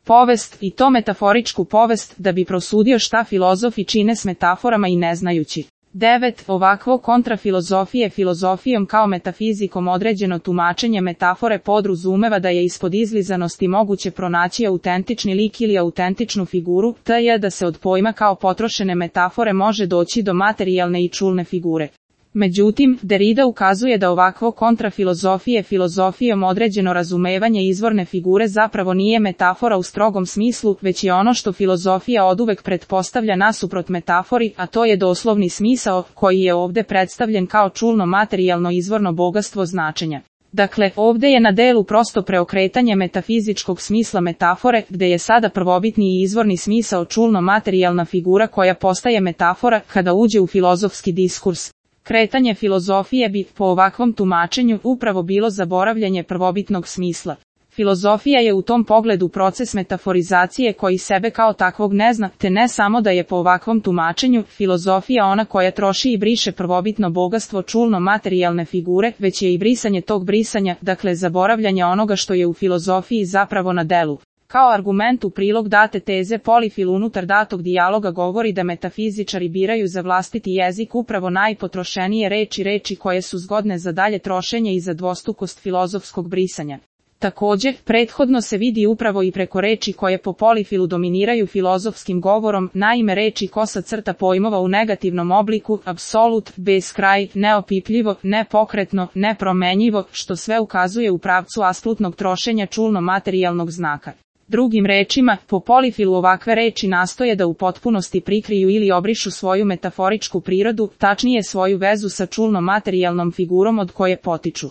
povest, i to metaforičku povest, da bi prosudio šta filozofi čine s metaforama i ne znajući. 9. Ovakvo kontrafilozofije filozofijom kao metafizikom određeno tumačenje metafore podrazumeva da je ispod izlizanosti moguće pronaći autentični lik ili autentičnu figuru, t.j. da se od pojma kao potrošene metafore može doći do materijalne i čulne figure. Međutim, Derrida ukazuje da ovakvo kontrafilozofije filozofijom određeno razumevanje izvorne figure zapravo nije metafora u strogom smislu, već je ono što filozofija oduvek pretpostavlja nasuprot metafori, a to je doslovni smisao, koji je ovde predstavljen kao čulno materijalno izvorno bogatstvo značenja. Dakle, ovde je na delu prosto preokretanje metafizičkog smisla metafore, gde je sada prvobitni i izvorni smisao čulno materijalna figura koja postaje metafora kada uđe u filozofski diskurs. Kretanje filozofije bi, po ovakvom tumačenju, upravo bilo zaboravljanje prvobitnog smisla. Filozofija je u tom pogledu proces metaforizacije koji sebe kao takvog ne zna, te ne samo da je po ovakvom tumačenju filozofija ona koja troši i briše prvobitno bogatstvo čulno materijalne figure, već je i brisanje tog brisanja, dakle zaboravljanje onoga što je u filozofiji zapravo na delu. Kao argument u prilog date teze Polifil unutar datog dijaloga govori da metafizičari biraju za vlastiti jezik upravo najpotrošenije reči koje su zgodne za dalje trošenje i za dvostrukost filozofskog brisanja. Također, prethodno se vidi upravo i preko reči koje po Polifilu dominiraju filozofskim govorom, naime reči kosa crta pojmova u negativnom obliku, apsolut, beskraj, neopipljivo, nepokretno, nepromenjivo, što sve ukazuje u pravcu asplutnog trošenja čulno materijalnog znaka. Drugim rečima, po Polifilu ovakve reči nastoje da u potpunosti prikriju ili obrišu svoju metaforičku prirodu, tačnije svoju vezu sa čulno materijalnom figurom od koje potiču.